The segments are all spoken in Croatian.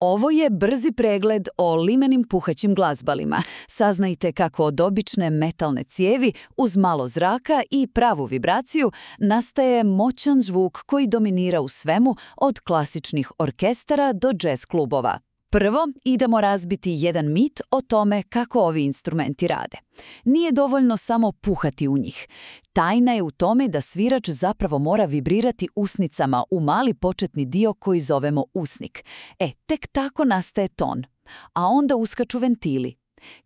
Ovo je brzi pregled o limenim puhaćim glazbalima. Saznajte kako od obične metalne cijevi uz malo zraka i pravu vibraciju nastaje moćan zvuk koji dominira u svemu od klasičnih orkestara do jazz klubova. Prvo, idemo razbiti jedan mit o tome kako ovi instrumenti rade. Nije dovoljno samo puhati u njih. Tajna je u tome da svirač zapravo mora vibrirati usnicama u mali početni dio koji zovemo usnik. Tek tako nastaje ton. A onda uskaču ventili.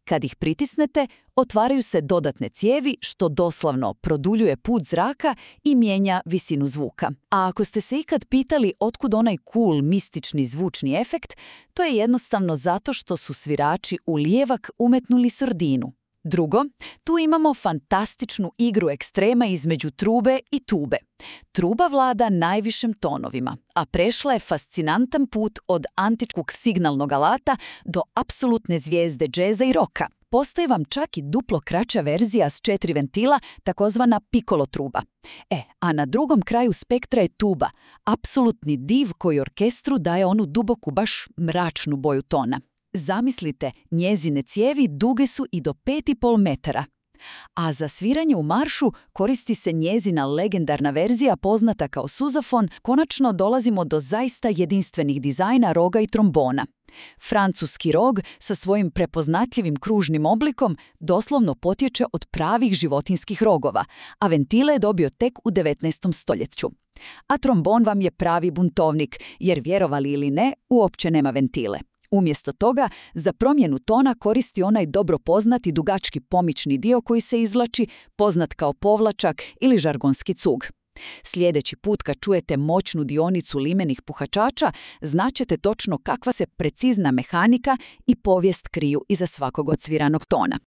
Kad ih pritisnete, otvaraju se dodatne cijevi, što doslovno produljuje put zraka i mijenja visinu zvuka. A ako ste se ikad pitali otkud onaj cool, mistični zvučni efekt, to je jednostavno zato što su svirači u lijevak umetnuli sordinu. Drugo, tu imamo fantastičnu igru ekstrema između trube i tube. Truba vlada najvišim tonovima, a prešla je fascinantan put od antičkog signalnog alata do apsolutne zvijezde džeza i roka. Postoji vam čak i duplo kraća verzija s 4 ventila, takozvana piccolo truba. A na drugom kraju spektra je tuba, apsolutni div koji orkestru daje onu duboku, baš mračnu boju tona. Zamislite, njezine cijevi duge su i do 5,5 metara. A za sviranje u maršu koristi se njezina legendarna verzija poznata kao suzafon. Konačno dolazimo do zaista jedinstvenih dizajna roga i trombona. Francuski rog sa svojim prepoznatljivim kružnim oblikom doslovno potječe od pravih životinskih rogova, a ventile je dobio tek u 19. stoljeću. A trombon vam je pravi buntovnik, jer vjerovali ili ne, uopće nema ventile. Umjesto toga, za promjenu tona koristi onaj dobro poznati dugački pomični dio koji se izvlači, poznat kao povlačak ili žargonski cug. Sljedeći put kad čujete moćnu dionicu limenih puhačača, znaćete točno kakva se precizna mehanika i povijest kriju iza svakog odsviranog tona.